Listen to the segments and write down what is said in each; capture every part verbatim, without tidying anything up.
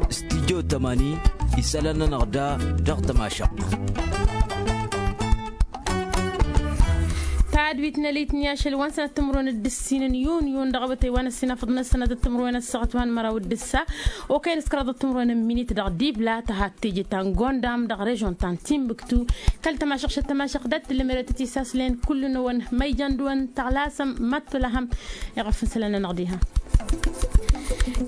Studyo tămani isălan-nănăɣ da dăɣ-tămašăɣt. Tadwit n-elit n-iyašăl wa n-sănăt timǝrwen d-ǝssin n-yun yun dăɣ-awătay wa n-ăssinafăḍ n-ăssănăt d-timǝrwen ăssaɣăt wa n-măraw d-ǝssa. Okăy n-ǝskăraḍ d-timǝrwen n-minit dăɣ-dibla tăhat teje ta n-gondam dăɣ-režon ta n-timbǝktu. Kăl-tămašăɣ šăt tămašăɣ dat-tǝllǝm eretăt isaslen kullu-năwăn ma ijăn dăɣ-wăn tăɣlasăm ma t-tulăhăm. Iɣăf n-isălan-nănăɣ diha.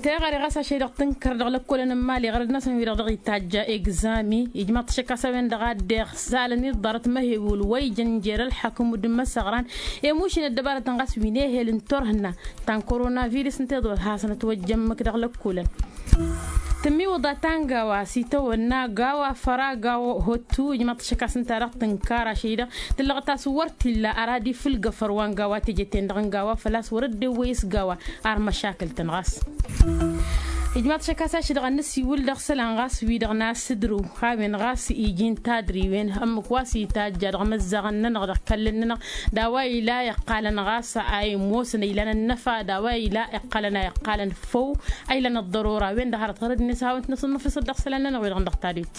Teɣăre ɣas ašăy-dăɣ tǝnkăr dăɣ-lăkkolăn n-imali ɣărăd-năsăn wi-dăɣ dăɣ-itajja egzami ijmaḍ-t ašăk a-s a-wen-dăɣ a dd-iɣsalăn iḍarăt ma he-wǝl wa ijăn jer-ălḥakǝm d-imăsăɣran. Emušin ăddăbarătăn ɣas wi n-ehel n-turhǝnna ta n-koronavirus ǝnta iḍul hasăn-ătwăjja ǝmmǝk dăɣ-lăkkolăn. Tǝmmiwǝḍa ta n-gawa s-itawănna gawa făra gawa hottu ijmaḍ-t ašăk a-s ǝnta-dăɣ tǝnkar ašăy-dăɣ tǝllăɣăt a-s wăr t-illa arad ifǝlgăfăr wa n-gawa teje-ten-dăɣ n-gawa făl-a-s wăr dd-ewwăy s-gawa ar măšakǝl-tăn ɣas. Ijmaḍ-t ašăk a-s ašăl-dăɣ ad-nǝsiwǝl dăɣ-isălan ɣas wi-dăɣ n-asǝdrǝw. A-wen ɣas iji n-tadriwen ǝmmǝk wa s-itajja dăɣ-imăzzaɣăn-nănăɣ dăɣ-ikallăn-nănăɣ d-a-wa ila iqqalăn ɣas a imoosăn a ilan ănnăfa d-a-wa ila iqqalăn a iqqalăn făw. A ilan ăḍḍărora a-wen-dăɣ hărăt ɣărăd-net hawăn-t-năsănnăfisăt dăɣ-isălan-nănăɣ wi-dăɣ n-dăɣ tadwit.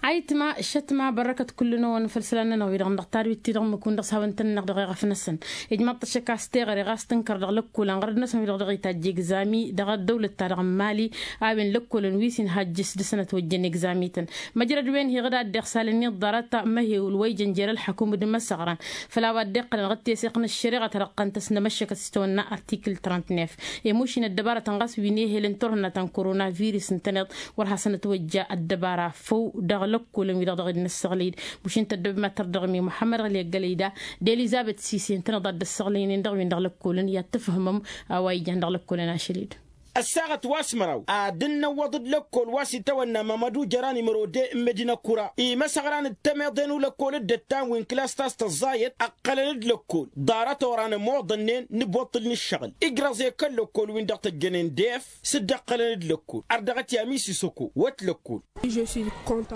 Ayǝtma šătma bărrăkăt kullu-năwăn făll-isălan-nănăɣ wi-dăɣ n-dăɣ tadwit-ti-dăɣ ǝmmǝk-wǝn dăɣ-s hawăn-tăn-nănăɣ dăɣ-eɣăf-năsăn. Ijmaḍ-t ašăk a-s teɣăre ɣas tǝnkăr dăɣ-lăkkolăn ɣărăd-năsăn wi-dăɣ dăɣ-itajj egzami dăɣ-ăddăwlăt-ta-dăɣ n-mali. A-wen lăkkolăn wi s-inhajjǝs dăɣ-săn ătwăjjăn egzami-tăn. Măjrăd-wen hi-dăɣ a dd-iɣsalăn iḍarăt ma he-wǝl wa ijăn jer-ălḥăkum d-imăsăɣran. Făll-a-wa dd-iqqălăn ɣǝd teseɣt n-ăššăreɣăt ad-ăqqăn-t ăsnămăššăkăt s-itawănna artikǝl trănt-nef. Emušin ăddăbarătăn ɣas wi n-ehel n-turhǝnna ta n-koronavirus ǝntăneḍ wăr hasăn-ătwăjja ăddăbara făw dăɣ-lăkkolăn wi-dăɣ dăɣ-dd-nǝssăɣlăy-dd. Mušin tăddobem ad-tărdăɣmi muḥămmăd ɣăli ăggălăy da d-elizăbet sisen tăneḍ ad-dd-ăssăɣlăynen dăɣ-win dăɣ-lăkkolăn i-ad-tǝfhǝmăm a-wa ijan dăɣ-lăkkolăn ašăl-dd. Ăssaɣăt wa s-măraw ad-dd-năwwăḍ d-lăkkol wa s-itawănna mamădu jăran imărode n-medina kura imăsăɣran d-temeḍe n-ulăkkol d-ăttan wi n-klas ta s-tăẓẓayăt ăqqălăn-dd lăkkol. Ḍarăt oran ămoḍănnen n-ǝbwăṭṭǝl n-ǝššăɣǝl ǝjrăẓ i-kăl-lăkkol-win-dăɣ tăjjănen d-ef s-dd-ăqqălăn-dd lăkkol. Ărdăɣăt i-amisisăko wăt lăkkol.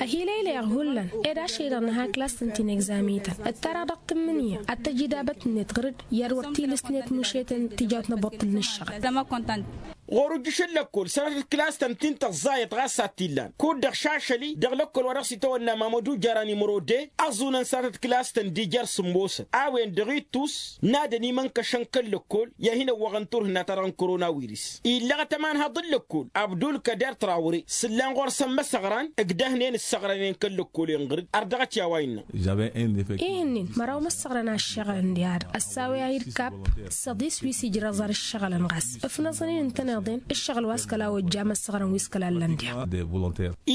Ăhiilăylăyăɣ hullan ed ašăl-i-dăɣ nǝha klas-tăn ti n-egzami-tăn ǝttarăɣ dăɣ-tǝmmǝnǝya ad-tăj idabăt-net ɣǝr-dd i-ad-wăr t-ilǝsnet mušetăn tijawt n-ăbwăṭṭǝl n-ǝššăɣǝl. Ɣur-ujǝš n-lăkkol sănatăt klas-tăn ti n-tăẓẓayăt ɣas a t-illan kud-dăɣ šašăl-i dăɣ-lăkkol wa dăɣ-s itawănna mamădu jaran imrode. Ăẓunăn sănatăt klas-tăn d-ijar s-ămoosăn a-wen-dăɣ ittus n-ad-ănimănkăšăn kăl-lăkkol i-ad-hin-ăwwăɣăn turhǝnna-ta-dăɣ n-koronawiris. Illăɣăt ămanhăḍ n-lăkkol abdul kăder trawre s-ǝllan ɣur-săn imăsăɣran ǝgdăhnen ǝssăɣrănen kăl-lăkkol-en ɣǝr-dd. Ar dăɣ-t i-a-wa innă. Ihǝnnin măraw imăssăɣrăn a ǝššăɣǝlăn d-iha-dăɣ ăssawăy-ahi d-kapp s-aḍis wi s-ijrăẓ ar ǝššăɣǝlăn ɣas ǝfnăẓăn-in ǝntăneḍ-en ǝššăɣǝl wa s-kăla ojja imăssăɣrăn wi s-kăla ăllăn d-iha.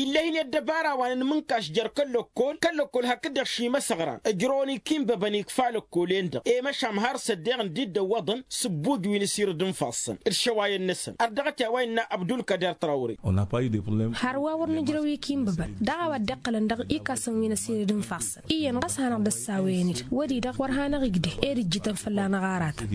Ill'-e-hin i-ăddăbara wa n-inmǝnkaš jer-kăl-lăkkol kăl-lăkkol hakd-dăɣ šimăsăɣran ǝjrăwăn ikinbăbăn ikfa lăkkol-en-dăɣ i-măšan har s-ăddeɣ ǝndi dd-ăwwăḍăn s-ǝbbuj wi n-asirǝd n-ifassăn d-išăwayăn-năsăn. Ar dăɣ-t i-a-wa innă abdul kăder trawre. Har wa wăr nǝjrăw ikinbăbăn daɣ a-wa dd-iqqălăn dăɣ-ikasăn wi n-asirǝd n-ifassăn iyyăn ɣas hanăɣ-dd-ăssawăyăn-dd wăr-i-dăɣ wăr hanăɣ-igdeh ed ǝjjǝtăn fălla-năɣ aratăn.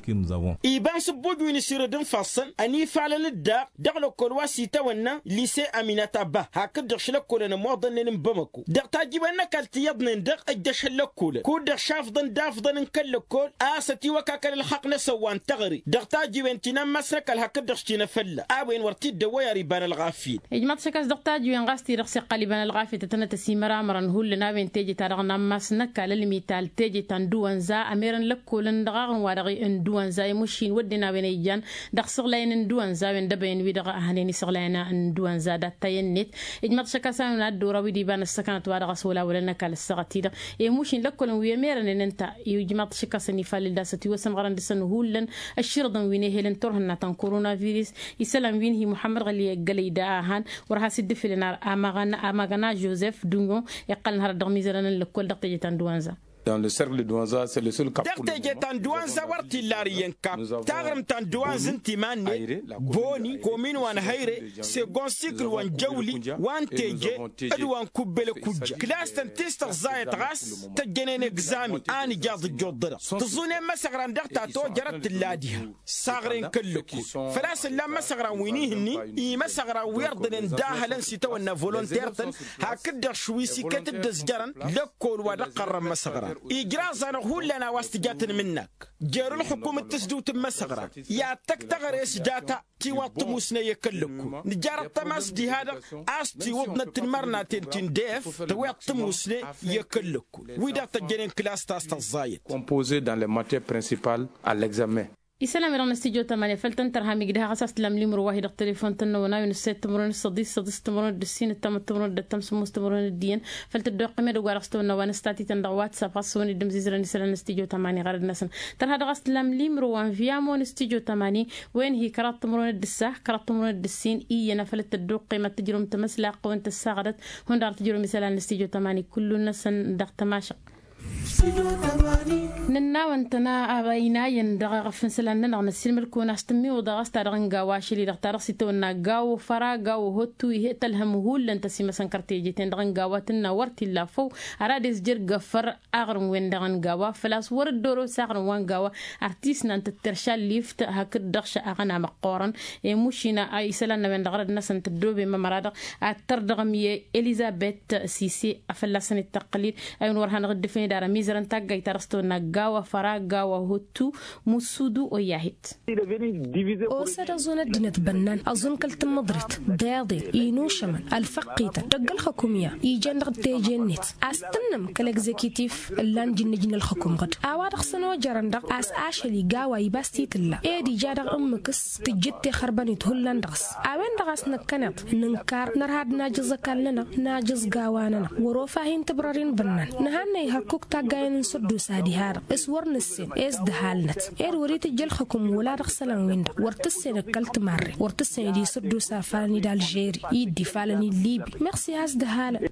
Iba n-sǝbbuj wi n-asirǝd n-ifassăn ănifalăn-dd daɣ dăɣ-lăkkol wa s-itawănna lise aminata bah hakd-dăɣ šlăkkolăn ămoḍănnen n-bamăko dăɣ-tajiwen n-ăkall ti iyyăḍnen-dăɣ ăjjăšăn lăkkolăn kud-dăɣ šafḍăn d-afḍăn n-kăl-lăkkol a-s ătiwăkakăl ălxaqq-năsăn wa n-teɣăre dăɣ-tajiwen ti n-ammas n-ăkall hakd-dăɣ s-tinăfălla a-wen wăr t-dd-ăwwăy ar iba n-ălɣafyăt. Ijmaḍ-t ašăk a-s dăɣ-tajiwen ɣas ti-dăɣ s-iqqăl iba n-ălɣafyăt ătănăt ăsimăramărăn hullan a-wen teje-ta-dăɣ n-ammas n-ăkall ălmital teje ta n-dăwănza ămerăn lăkkolăn dăɣ-aɣrǝm-wa-dăɣ n-dăwănza i-măšin wădden a-wen a ijan dăɣ-săɣlayăn n-dăwănza a-wen d-ăbăyăn wi-dăɣ a hănen isăɣlayăn n-dăwănza dat-tayăn-net. Ijmaḍ-t ašăk a-s a-wen ad-dd-oraw-dd iba n-ăssăkănăt wa dăɣ-s wăla wăla n-ăkall ăssaɣăt-i-dăɣ i-măšin lăkkolăn wi ămerănen ǝnta. Ijmaḍ-t ašăk a-s ănifalǝl d-asăt iwăsăn ɣărăn dăɣ-săn hullan ăšširǝḍăn wi n-ehel n-turhǝnna ta n-koronavirus isălan wi n-hi muḥămmăd ɣăli ăggălăy da a han wăr has-dd-ǝfǝlăn ar amăɣana jozef dunyon iqqălăn hărăt dăɣ-imizărăn n-lăkkol dăɣ-teje ta n-dăwănza. Dăɣ-teje ta n-dăwănza wăr t-illa ar iyyăn kapp taɣrǝmt ta n-dăwănz n-timan-net boni komin wa n-hăyre segon sikǝl wa n-jăwli wa n-teje d-wa n-kubbel kujja klas-tăn ti s-tăẓẓayăt ɣas tăjjănen egzami a nǝjaḍ ǝjjuḍ-dăɣ tǝẓẓunen imăsăɣran dăɣ-ta tojărăt tǝlla diha. Saɣren kăl-lăkkol făl-a-s ǝllan imăsăɣran wi n-ihǝnnin imăsăɣran wi ărḍănen d-ahălăn s-itawănna volonter-tăn hakd-dăɣ šwi s-iket dd-ăzjărăn lăkkol wa dăɣ-qărrăn imăsăɣran. Ijraẓ-anăɣ hullan a-wa s-tǝja tǝnmǝnnak jer-ǝlxǝkum d-tǝsdǝwt n-imăsăɣra i-ad-tăkk teɣăre s-data. Tiwaḍ tămusne i-kăl-lăkkul nǝjjarăt tămas diha-dăɣ a-s tiwǝḍnăt tǝnmărnaten ti n-def tăwiḍ tămusne i-kăl-lăkkul wi-dăɣ tăjjănen klas ta s-tăẓẓayăt. Composé dans les matières principales à l'examen. Isălan-wi-dăɣ n-astijot amane făl tăn-tărham igdăh ɣas a-s tǝllam limǝrǝw wa hi-dăɣ telefon-tăn-năwăn a-wen ǝssed timǝrwen d-săḍis săḍis timǝrwen d-ǝssin ǝttam timǝrwen d-ǝddiyăn. Făl tăddoqqem edăgg-wa-dăɣ s-tawănna wa n-ăstatităn dăɣ-whatsapp ɣas s-wăn-dd-ǝmzizrăn isălan n-astijot amane ɣărăd-năsăn. Tărha dăɣ-a-s tǝllam limǝrǝw wa n-viyamo n-astijot amane wen-hi kăraḍ timǝrwen d-ǝssa kăraḍ timǝrwen d-ǝssin iyyăn a făl dd-tăddoqqem ad-tǝjrǝwăm tamăslaɣt wa n-tăssaɣdăt. Hundăɣ ad-tǝjrǝwăm isălan n-astijot amane kullu-năsăn dăɣ-tămašăɣt. Nǝnna a-wa ǝntăna a-wa inayăn dăɣ-eɣăf n-isălan-nănăɣ năssiilmăd-kăwăn a-s tǝmmiwǝḍ a ɣas ta dăɣ-n gawa ašăl-i-dăɣ ta dăɣ-s itawănna gawa făra gawa hottu ih'-e tălhăm hullan tăsimăsăn kărteje-ten-dăɣ n-gawa tǝnna wăr t-illa făw. Ara d-e-s jer-găfăr aɣrǝm-wen-dăɣ n-gawa făl-a-s wăr-dd-orosa aɣrǝm wa n-gawa. Ar t-isnan tǝttărša ǝllift hakd-dăɣ šăɣăn amăqqoorăn. Emušina a isălan n-a-wen-dăɣ răd-năsăn tăddoobem ămăra-dăɣ ad-tărdăɣăm i-elizăbet sise a fălla-săn ittăqqăl-dd. A-wen wăr hanăɣ-dd-ǝfned ar ămizărăn taggayt ta dăɣ-s tăwănna gawa făra gawa hottu musudu oyya-hit. Osăd ăẓun ăddinăt bănnan ăẓun kăl-tǝmmǝḍrit deḍen inušămăn ălfăqqităn dăgg-ǝlxǝkum i-a ijen dăɣ-teje-net. A-s tǝnnǝm kăl-egzekitif ǝllan jǝnnǝj n-ǝlxǝkum ɣǝd a-wa-dăɣ s-ănojărăn-dăɣ a-s ašăl-i gawa iba s-t-tǝlla ed ija dăɣ-ǝmmǝk s-tǝjjǝd tixărbănit hullan dăɣ-s. A-wen-dăɣ a-s năkkăneḍ nǝnkar nărha d-najǝẓ ăkall-nănăɣ najǝẓ gawa-nănăɣ wăr-ofa hin-tǝbrăr-in bănnan. Nǝhannăy hărkuk taggayen n-săddusa diha-dăɣ s-wăr nǝssen e-s dăhalnăt ed wăr-itǝjj ălxǝkum wăla dăɣ-isălan-win-dăɣ wăr tǝssen d-kăl-timarre wăr tǝssen d-isăddusa falăn-i d-alžeri i-dd-ifalăn i-libi. Măxsi has-dăhalăn.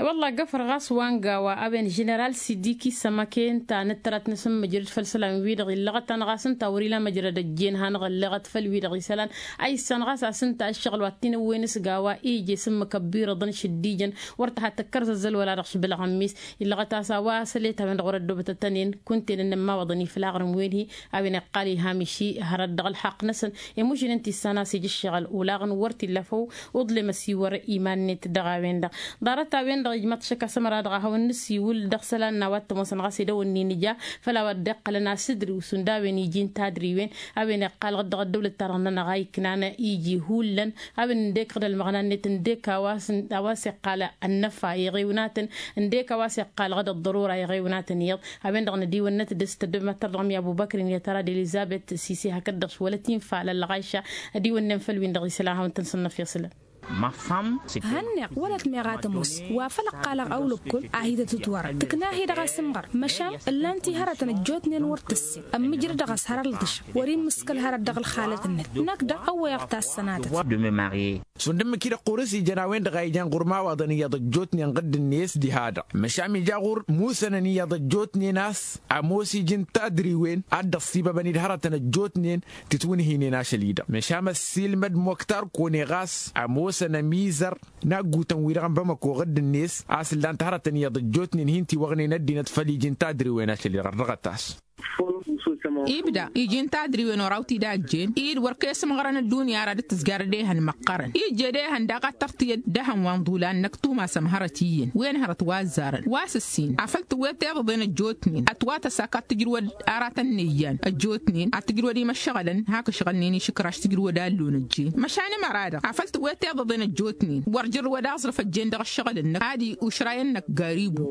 Wălla găfăr ɣas wa n-gawa a-wen ženeral sidiki sămăke ǝnta nǝttărăt n-asǝmmǝjrăd făll-isălan-wi-dăɣ illăɣăt-anăɣ a-s ǝnta wăr-ila măjrăd ăjjeen hanăɣ-ălleɣăt făll-wi-dăɣ isălan. A issan ɣas a-s ǝnta ǝššăɣǝl wa t-inǝwwen s-gawa ije s-ǝmmǝk ăbbirăḍăn šǝddijăn wăr tăha tăkkărzăzzăl wăla dăɣ-išbǝlăɣ ămmis. Illăɣăt a-s a-wa sălet a-wen-dăɣ wăr-ăddoobătăt ănen kunta-en ănnămmawaḍăn iflaɣrǝm wen-hi. A-wen iqqal iha miši hărăt dăɣ-ălxaqq-năsăn. Emušnen tissan a-s ija ǝššăɣǝl olaɣăn wăr t-illa făw. Uḍlem ăsiwăr iman-net dăɣ-a-wen-dăɣ ḍarăt-a-wen-dăɣ ijmăḍ šăkk a-s ămăra-dăɣ a hawăn-nǝsiwǝl dăɣ-isălan n-a-wa t-ămoosăn ɣas ed a-wen-in-ija. Făll-a-wa dd-iqqălăn a-s ǝdriw šund a-wen iji n-tadriwen. A-wen iqqal ɣǝd dăɣ-ăddăwlăt-ta-dăɣ-nănăɣ a iknan iji hullan. A-wen ǝndek ɣǝd ălmăɣna-net ǝndek a-wa s-iqqal ănnăfa iɣewnatăn. Ǝndek a-wa s-iqqal ɣǝd ăḍḍărura iɣewnatăn iyyăḍ. A-wen-dăɣ nădiwănnăt dăɣ-s tăddobem ad-tărdăɣăm i-abubăkr-in i-tăra d-elizăbet sise hakd-dăɣ s-wălăt infa lălɣayša. Ădiwănnen făll-win-dăɣ isălan hawăn-tăn-sănnăf iṣlăn. Hănneɣ wălăt meɣ a tămoos wa făl ăqqalăɣ awlăkkol a hi-tăt-ǝtwărăn tǝkna-hi-dăɣ asǝmɣăr. Măšan ǝllan-t i-hărătăn ăjjootnen wăr tǝssen ămmǝjrăd-dăɣ a-s hărăltǝšăɣ wăr-immǝskăl hărăt dăɣ-ălxalăt-net. Năkk daɣ ăwwăyăɣ tassănatăt. Šund ǝmmǝk-i-dăɣ ɣur-s ijăn a-wen-dăɣ a ijăn ɣur-imawaḍăn iyyăḍ ăjjootnen ɣǝdd-net diha-dăɣ măšan ija ɣur-musănăn iyyăḍ ăjjootnen a-s ămoos iji n-tadriwen ad-dd-ăṣṣibăbăn-dd hărătăn ăjjootnen. Tǝtwǝnhǝynen ašăl-i-dăɣ măšan ăssiilmăd moktar kone ɣas ămoosăn ămizăr n-aggutăn-wi-dăɣ n-bamăko ɣǝdd-net a-s ǝllan-t hărătăn iyyăḍ ăjjootnen hin-tiwăɣnen ăddinăt făll-iji n-tadriwen ašăl-i-dăɣ ărdăɣăt-as. Ibda iji n-tadriwen oraw-t-dd-a ăjjeen-dd wăr kăy-ăsmăɣrăn ăddunya ara dd-tǝzgar d-ehăn măqqărăn ijje d-ehăn daɣ ad-tărtǝyăd d-ehăn wa n-iḍulan năkk tumasăm hărăt iyyăn wen hărăt wa ăzzarăn wa s-ǝssin afăl tǝwwet iḍăḍen ăjjootnen ătwatăs ak ad-tǝjrǝwăd aratăn n-eyyan ăjjootnen ad-tǝjrǝwăd imăššăɣălăn hak ǝšɣălnen išǝkraš tǝjrǝwăd allon ăjjeen măšan ămăra-dăɣ afăl tǝwwet iḍăḍen ăjjootnen wăr jǝrrǝwăd aẓrǝf ăjjeen dăɣ-ǝššăɣǝl-năk ad-iušrayăn năkk garibu.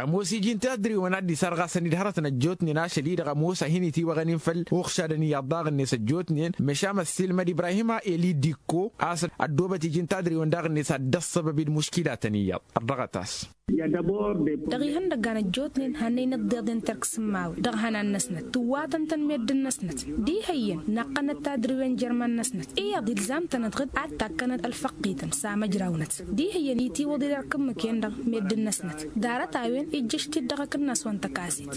Ămoos iji n-tadriwăn a dd-isarɣasăn-dd hărătăn ăjjootnen ašăl-i-dăɣ ămoos a hin-itiwăɣăn-in făll-uɣšadăn iyyăḍ daɣ-net ăjjootnen măšan ăssiilmăd ibrahima eli dikko a-s ăddoobăt iji n-tadriwăn daɣ-net ad-dd-ăṣṣăbăb-dd muškilatăn iyyăḍ. Ărdăɣăt-as. Dăɣ-ihăndăggan ăjjootnen hannăynăt d-iḍen terk sǝmmawen dăɣ-ihănan-năsnăt tǝwwatăn-tăn meddǝn-năsnăt diha iyyăn naqqănăt tadriwen jer-iman-năsnăt iyyăḍ ilzam-tănăt ɣǝd ad-takkănăt ălfăqqităn s-amăjrawnăt diha iyyăn itiwǝḍ-dd ărk ǝmmǝk-en-dăɣ. Meddǝn-năsnăt ḍarăt-a-wen ijjăš-t-dd dăɣ-akǝnnas wa n-tăkasit.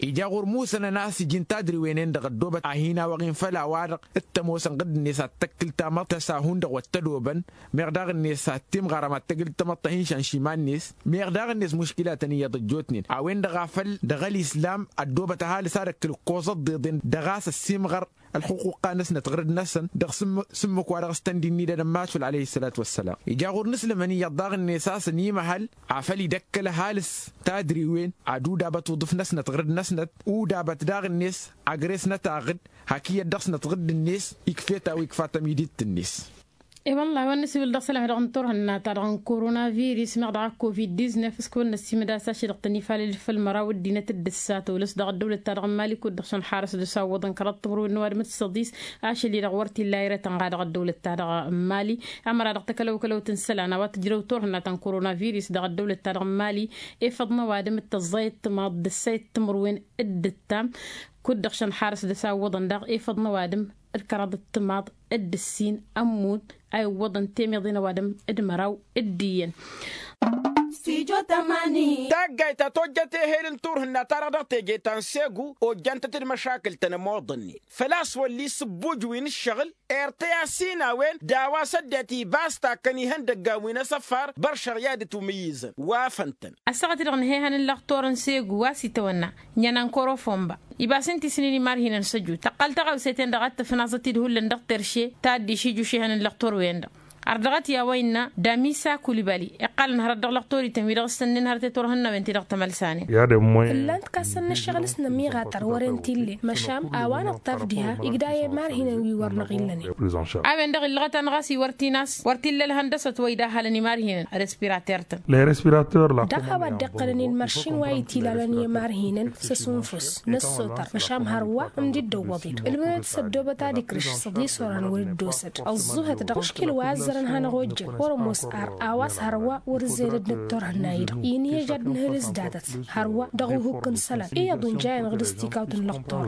Ija ɣur-musănăn a-s iji n-tadriwen-en-dăɣ ăddoobăt a hin-awăɣ-in făll-a-wa-dăɣ t-ămoosăn ɣǝdd-net ad-tăkkǝl tamăḍt ta s-a hundăɣ wăr t-ădobăn meɣ daɣ-net ad-timɣarăm ad-tăgǝl tamăḍt ta hin-šanš iman-net meɣ daɣ-net muškilatăn iyyăḍ ăjjootnen a-wen-dăɣ a făl dăɣ-ălislam ăddoobăt ăhalǝs ad-ăkkǝl ǝkkoẓăt d-iḍen dăɣ-a-s ăssiimɣăr. ălxuquqa-năsnăt ɣǝrǝd-năsăn dăɣ-s ǝmmǝk wa dăɣ-s tăn-dd-innidăn n-masul alăyhi s-sălat wa s-sălam. Ija ɣur-nǝslǝmăn iyyăḍ daɣ-net a-s ănimăhăl afăl idăkkăl ăhalǝs tadriwen ad-udabăt uḍǝf-năsnăt ɣǝrǝd-năsnăt udabăt daɣ-net agres n-ătaɣǝd. Hak iyyăt dăɣ-snăt ɣǝrǝd-net ikf'-e ta wa ikfa tămidit-net. I-wălla a-wa n-nǝsiwǝl dăɣ-isălan dăɣ-turhǝnna-ta-dăɣ n-koronavirus meɣ dăɣ-covid-diznef s-kăwăn-năsimǝd a-s ašăl dăɣ-tăn-ifalăl făll-măraw ăddinăt d-ǝssa tolăs dăɣ-ăddăwlăt-ta-dăɣ n-mali kud-dăɣ šăn xarăs d-asawwăḍăn kăraḍ timǝrwen n-ăwadǝm d-săḍis. Ašăl-i-dăɣ wăr t-illa irătăn ɣa dăɣ-ăddăwlăt-ta-dăɣ n-mali ămăra dăɣ-takălăwkălăwt n-isălan a-wa tǝjrăw turhǝnna ta n-koronavirus dăɣ-ăddăwlăt-ta-dăɣ n-mali efăḍ n-ăwadǝm d-tăẓẓay d-timaḍ d-ǝssay d-timǝrwen d-ǝttam. Kud-dăɣ šăn xarăs d-asawwăḍăn daɣ efăḍ n-ăwadǝm d-kăraḍ d-timaḍ d-ǝssin ămmut a iwwăḍăn temeḍe n-ăwadǝm d-măraw d-iyyăn. Taggayt ta tojjăt ehel n-turhǝnna-ta-dăɣ dăɣ-teje ta n-segu ojjantăt d-măšakǝl-tăn ămoḍănnen făl-a-s wălli s-ǝbbuj wi n-ǝššăɣǝl. Ertăy a-s hin-a-wen d-a-wa s-ăddinăt ibas takkăn ihăndăggan wi n-asăfar băr šăɣya d-tumǝyyǝzăn wa făn-tăn. Ăssaɣăt-dăɣ n-ehăn n-lăxtor n-segu a-s itawănna ǝnnan n-korofomba ibas ǝnta isnin imarhinăn s-ăjut tăqqăl taɣawse-ten-dăɣ ad-tǝfnaẓăt-dd hullan dăɣ-terše ta dd-išiju šehăn n-lăxtor-wen-dăɣ. Ărdăɣăt i-a-wa innă damisa kulibali iqqalăn hărăt dăɣ-lăxtorităn wi dăɣ-s tănnen hărăt i-turhǝnnawen-ti-dăɣ tămălsanen. Ǝllan-t kassăn n-ăššăɣǝl s-nămiɣatar wăren t-ille măšan a-wa năṭṭaf diha igdayăn imarhinăn wi wăr năɣ-illănen. A-wen-dăɣ illăɣăt-anăɣ a-s iwăr t-in-a-s wăr t-illa ălhăndăsăt wa idahălăn imarhinăn respirater-tăn. Dăɣ-a-wa dd-iqqălăn i-ǝlmăršin wa itilalăn i-imarhinăn s-ăsunfus n-ăssotăr măšan hărwa ǝmdiddăwwăḍ-dd ǝlmǝnăt s-ăddoobăt ad-ikrǝš s-ăḍisorăn wăr dd-osăd ăẓẓuhăt dăɣ-aškil wa ăzzărăn hanăɣ-ojjăn wăr-ămoos ar a-wa s-hărwa wăr-ǝzzeyăn d-năttorhǝnna-i-dăɣ inǝyăj ad-nǝhǝl s-datăt hărwa dăɣ-uhuk n-isălan iyyăḍ unjayăn ɣǝd-s tikawt n-lăqtor.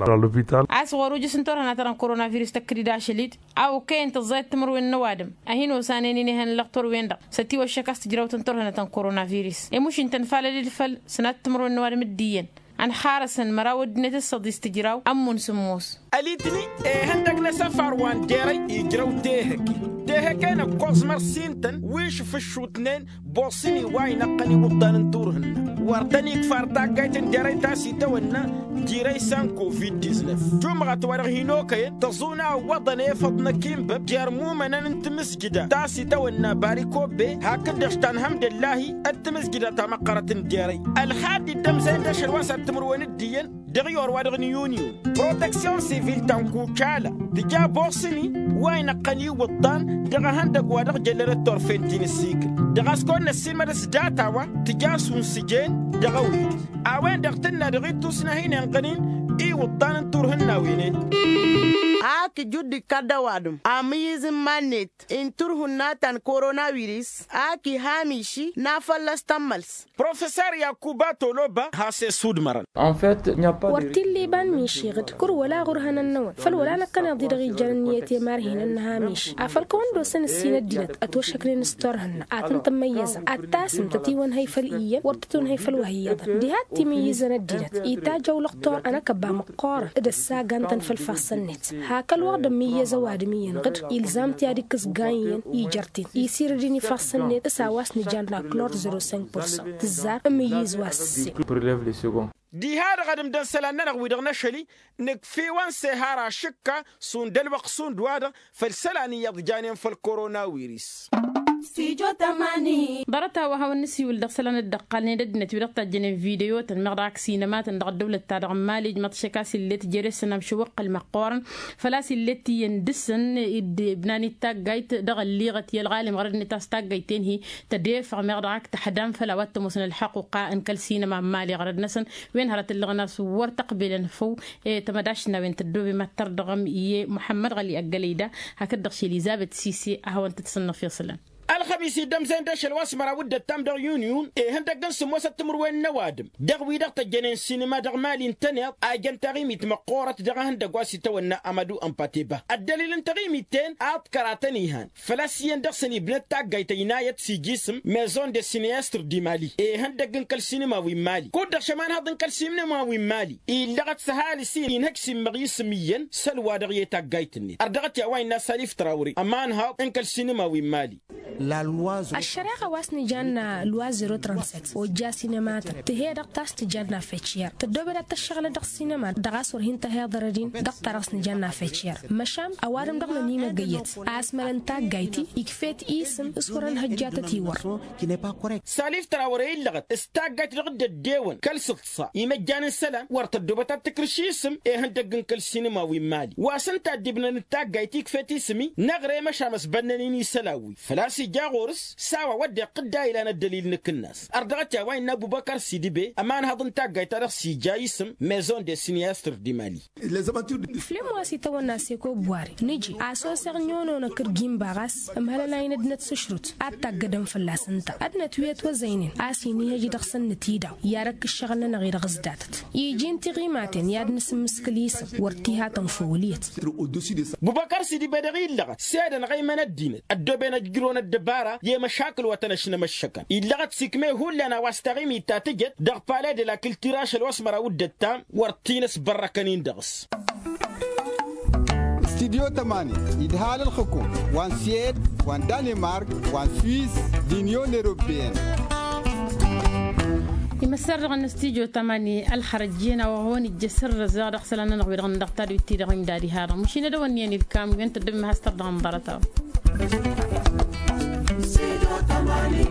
Asɣur ujǝs n-turhăna ta dăɣ-n koronavirus tăkkăd-dd ašăl-dd a okăyăn tǝẓẓayăt timǝrwen n-ăwadǝm a hin-osanen inehăn n-lăqtor-wen-dăɣ s-ătiwăššăk a-s tǝjrăwt n-turhăna ta n-koronavirus i-mušin tăn-falăd-dd făll-sănat timǝrwen n-ăwadǝm d-iyyăn ănxarăsăn măraw ăddinăt d-săḍis tǝjraw ămmun sǝmmos. Ălitni ihăndăg n-asăfar wa n-derăy ijrăw tehăke tehăke n-ǝkkoẓ măr-s-intăn wi šǝfǝššutnen boṣini wa inăqqăn iwǝḍḍan n-turhǝnna wăr tăn-ikfar taggayt n-derăy ta s-itawănna. Dirăy san covid-diznăf jumɣăt wa dăɣ-hin-okăyăn tăẓuna ǝwwăḍăn efăḍ n-akǝnbăb jer-imumănăn n-timǝzjǝda ta s-itawănna barikobe hakd-dăɣ tanhămdăllahi d-timǝzjǝda ta măqqărăt n-derăy. Ălxad dd-ămzăyăn d-ašăl wa s-ad-timǝrwen d-iyyăn dăɣ-iyor wa dăɣ-niyuniyun proteksyon sivil ta n-kucala tǝja boṣni wa inăqqăn iwǝḍḍan dăɣ-ehăndăg wa dăɣ-jăllănăt turfen ti n-ǝssikǝl dăɣ-a-s kăwăn-năssiilmăd s-data wa tǝja s-unsǝjen dăɣ-ewet a-wen-dăɣ tǝnna dăɣ-ittus n-ad-hin-inɣănin iwǝḍḍan n-turhǝnnawen-en. Ak ǝjud d-ikkăr d-ăwadǝm amǝyyǝz n-iman-net n-turhǝnna ta n-koronawiris ak iha miši n-ad-fălla-s tămmăls. Profesor yakuba toloba has-esudmărăn. Wăr t-illa iba n-miši ɣǝd kăr wăla ɣur-ihănăn-năwăn făl wăla năkkăneḍ-i-dăɣ ijăn ǝnniyăt i-imarhinăn n-iha miši afăl kăwăn-dd-osăn ǝssin ăddinăt ătwăššăknen s-turhǝnna ad-tăn-tǝmmăyyăzăm ad-tasǝm tătiwănhăy făll-iyyăn wăr tătunhăy făll-wa hi-iyyăḍăn diha t-imǝyyǝzăn ăddinăt itajj awlăɣ tor ănăkăbba măqqoorăn d-ăssagan-tăn făll-ifassăn-net hak ălwăqq d-ămmǝyyăz ăwadǝm iyyăn ɣǝd ilzam-t i-ad-ikkǝs gany iyyăn ijăr-t-in isirǝd-in ifassăn-net s-a-wa s-nǝjan n-aklor zero cinq pur cent tǝzzar ǝmmǝyyǝz wa s-ǝssin. Diha-dăɣ ad-ǝmdăn isălan-nănăɣ wi-dăɣ n-ašăl-i nǝkf'-iwăn s-ehar ašǝkka šund ălwăqq šund-wa-dăɣ făll-isălan iyyăḍ janen făll-koronawiris. Ḍarăt a-wa hawăn-nǝsiwǝl dăɣ-isălan dd-ăqqalnen ăddinăt wi-dăɣ tajjănen video-tăn meɣ dăɣ-ak sinăma-tăn dăɣ-ăddăwlăt-ta-dăɣ n-imali ǝjmăḍ ašăk a-s ill'-e tǝjere s-ănam šăwwăqqăl măqqoorăn făl-a-s ill'-e t-iyyăn dăɣ-săn dd-ibnan-dd taggayt dăɣ-ălliɣăt i-ălɣalem ɣărăd-net a-s taggayt-en-hi tădefăɣ meɣ dăɣ-ak tăḥdam făll-a-wa t-ămoosăn ălxăqquqa n-kăl-sinăma n-imali ɣărăd-năsăn. Wen hărăt ǝllăɣăn a-s wăr tăqbelăn făw i-tamădašt n-a-wen tăddoobem ad-tărdăɣăm i-muḥămmăd ɣăli ăggălăy da hakd-dăɣ š-elizăbet sise a hawăn-tăt-sǝnnăf iṣǝlăn. Ălxămis-i dd-ămzăyăn d-ašăl wa s-măraw d-ăttam dăɣ-yuniyun ihăndăgg n-sǝmmosăt timǝrwen n-ăwadǝm dăɣ-wi-dăɣ tăjjănen sinǝma dăɣ-imali ǝntăneḍ a jăn taɣimit măqqoorăt dăɣ-ehăndăgg wa s-itawănna amădu n-pateba ăddălil n-taɣimit-ten ad-t kăratăn ihan făl-a-s iyyăn dăɣ-săn ibnăt taggayt ăynayăt s-ijisǝm maison de sineyastr d-imali ihăndăgg n-kăl-sinǝma wi n-imali kud-dăɣ šămanhăḍ n-kăl-sinǝma wi n-imali illăɣăt s-ăhalǝs-in inhăj s-immăɣ isǝm iyyăn s-ălwa-dăɣ i-taggayt-net ărdăɣăt i-a-wa innă salif trawre ămanhăḍ n-kăl-sinǝma wi n-imali. Ăššăreɣa wa s-nǝjanna lwa zero trănsăt ojja sinema-tăn tǝhe-dăɣ ta s-tǝjanna feciyăr tăddoobed ad-tăššăɣǝlăt dăɣ-sinema dăɣ-a-s wăr hin-tăhiḍăr ăddin dăɣ-ta-dăɣ s-nǝjanna feciyăr. Măšan ăwadǝm-dăɣ n-ănimăggăyyăt a ăsmălăn taggayt-i ikfet isǝm s-wăr-ănhăjjatăt i-wăr. Saliftăra wăr-e illăɣăt s-taggayt dăɣ-dd-ăddewăn kăl-sǝḍsa imăjjan n-isălan wăr tăddoobăt ad-tǝkrǝš isǝm. Ihăndăgg n-kăl-sinima wi n-imali wa s-ǝnta ăddiibnăn d-taggayt ikfet isǝm-i năɣrem ăšam ăsbănnăn-in isălan-wi făl-a-s ija ɣur-s s-a-wa wădden iqqǝdda ilan ăddălil n-akǝnnas. Ărdăɣăt i-a-wa innă ăbubăkăr s-idǝbe ămanhăḍ n-taggayt-ta-dăɣ s-ija isǝm maison de siniyastăr d-imali. Ǝflem wa s-itawănna seko buwari nǝji a-s oseɣ n-iwănonăk d-gimba ɣas ǝmhălăn a inăddinăt s-ašrut ad-taggădăn fălla-s ǝnta ăddinăt wi ătwăzăynen a-s inihăj dăɣ-săn nǝtidăɣ i-ad-ăkk ǝššăɣǝl-nănăɣ-i dăɣ-s datăt iji n-tiɣimaten i-ad-nǝsǝmmǝskǝl isǝm wăr t-iha tănfăwǝl iyyăt. Bubăkăr s-idǝbe dăɣ-illăɣăt s-edănăɣ ăymăn ăddinăt ăddooben ăjjǝrwăn ăddăbara i-emăšakǝl wa tăn-ăšnămăššăkăn illăɣăt s-ikme hullan a-wa s-taɣimit ta tǝjăt dăɣ-pale de la kǝltira ašăl wa s-măraw d-ăttam wăr t-in-ăsbărrăkăn-in dăɣ-s. Studyo tămani idhal ǝlxǝkum wa n-siyed wa n-danimark wa n-swiss d-inyon eropeyăn. Imăssar dăɣ-năstudyo tămani ălxărăt jen a-wa hawăn-ijjăs ărrăz daɣ dăɣ-isălan-nănăɣ wi-dăɣ n-dăɣ tadwit-ti-dăɣ imdad iha-dăɣ mašin ad-ăwănniyăn ilkam wi ǝnta dd-ǝmmǝhăs tărdăɣ n-ḍarăt-a-wa. Studyo tămani.